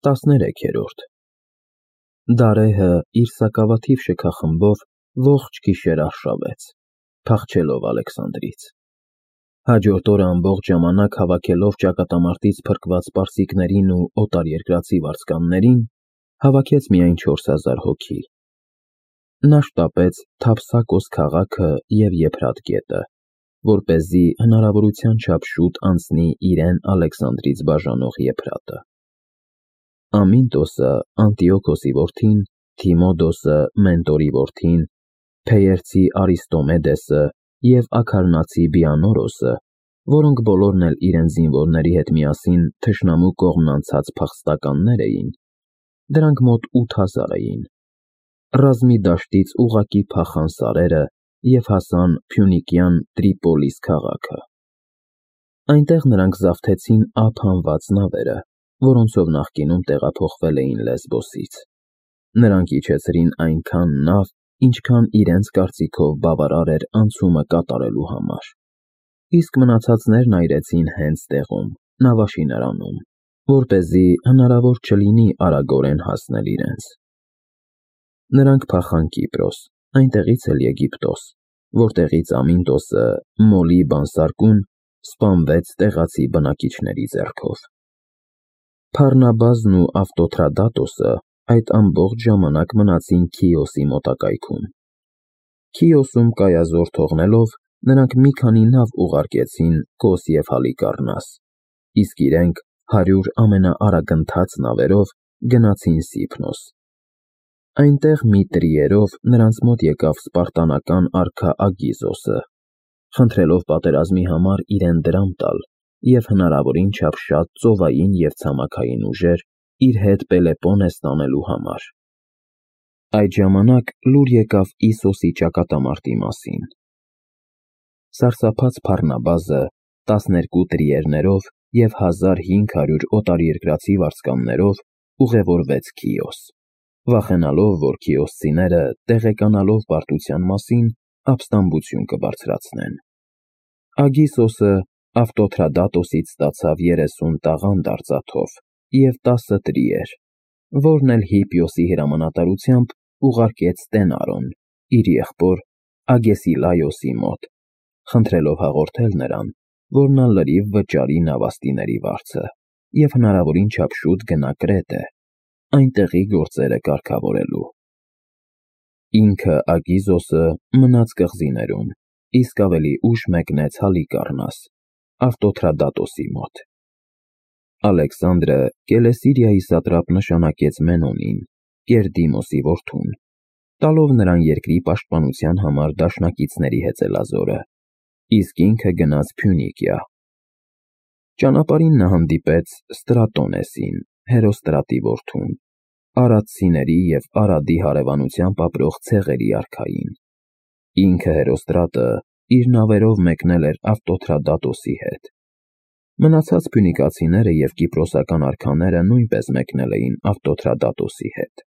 13-րդ Դարեհը իր սակավաթիվ շքախմբով ողջ գիշեր արշավեց, փախչելով Ալեքսանդրից։ Հաջորդ օրը ամբողջ ժամանակ հավաքելով ճակատամարտից փրկված պարսիկներին ու օտարերկրացի վարձկաններին, հավաքեց միայն 4000 հոգի։ Նա շտապեց Թափսակոս քաղաքը և Եփրատ գետը, որպեսզի հնարավորության չափ շուտ անցնի իրեն Ալեքսանդրից բաժանող Եփրատը։ Ամինտոսը, Անտիոքոսի որդին, Թիմոդոսը, Մենտորի որդին, Փեերցի Արիստոմեդեսը և Աքարնացի Բիանորոսը, որոնք բոլորն էլ իրենց զինվորների հետ միասին թշնամու կողմն անցած փախստականներ էին, դրանք մոտ 8000 էին, ռազմի դաշտից ուղղակի փախան սարերը և հասան Փյունիկյան Տրիպոլիս քաղաքը։ Այնտեղ նրանք զավթեցին Ափ անվաց նավերը, որոնցով նախկինում տեղափոխվել էին Լեսբոսից։ Նրանք իջեցրին այնքան նավ, ինչքան իրենց կարծիքով բավարար էր անցումը կատարելու համար, իսկ մնացածներն այրեցին հենց տեղում, նավաշինարանում, որպեսզի հնարավոր չլինի արագորեն հասնել իրենց։ Նրանք փախան Կիպրոս, այնտեղից էլ Եգիպտոս, որտեղից Ամինտոսը, Մոլի բանսարկուն, սպանվեց տեղացի բնակիչների ձեռքով։ Փառնաբազն ու Ավտոթրադատոսը այդ ամբողջ ժամանակ մնացին Քիոսի մոտակայքում։ Քիոսում կայազոր թողնելով, նրանք մի քանի նավ ուղարկեցին Կոս և Հալիկառնաս, իսկ իրենք 100 ամենաարագընթաց նավերով գնացին Սիփնոս։ Այնտեղ մի տրիերով նրանց մոտ եկավ սպարտանական արքա Ագիզոսը, խնդրելով պատերազմի համար իրեն դրամ տալ և հնարավորին չափ շատ ծովային և ցամաքային ուժեր իր հետ Պելեպոնես տանելու համար։ Այդ ժամանակ լուր եկավ Իսոսի ճակատամարտի մասին։ Սարսափած Փառնաբազը 12 տրիերներով և 1500 օտարերկրացի վարձկաններով ուղևորվեց Քիոս, վախենալով, որ քիոսցիները, տեղեկանալով պարտության մասին, ապստամբություն կբարձրացնեն։ Ագիսոսը Ավտոթրադատոսից ստացավ 30 տաղանդ արծաթով և 10 տրիեր, որն էլ Հիպիոսի հրամանատարությամբ ուղարկեց Ստենարոն, իր եղբոր Ագեսիլայոսի մոտ, խնդրելով հաղորդել նրան, որ նա լրիվ վճարի նավաստիների վարձը և հնարավորին չափ շուտ գնա Կրետե, այնտեղի գործերը կարգավորելու։ Ինքը Ագիզոսը մնաց կղզիներում, իսկ ավելի ուշ մեկնեց Հալիկառնաս, Ավտոթրադատոսի մոտ։ Ալեքսանդրը Կելեսիրիայի սատրապ նշանակեց Մենոնին, Կերդիմոսի որդուն, տալով նրան երկրի պաշտպանության համար դաշնակիցների հեծելազորը, իսկ ինքը գնաց Փյունիկիա։ Ճանապարհին նա հանդիպեց Ստրատոնեսին, Հերոստրատի որդուն, արադցիների և Արադի հարևանությամբ ապրող ցեղերի արքային։ Ինքը Հերոստրատը իր նավերով մեկնել էր Ավտոթրադատոսի հետ։ Մնացած փյունիկացիները և կիպրոսական արքաները նույնպես մեկնել էին Ավտոթրադատոսի հետ։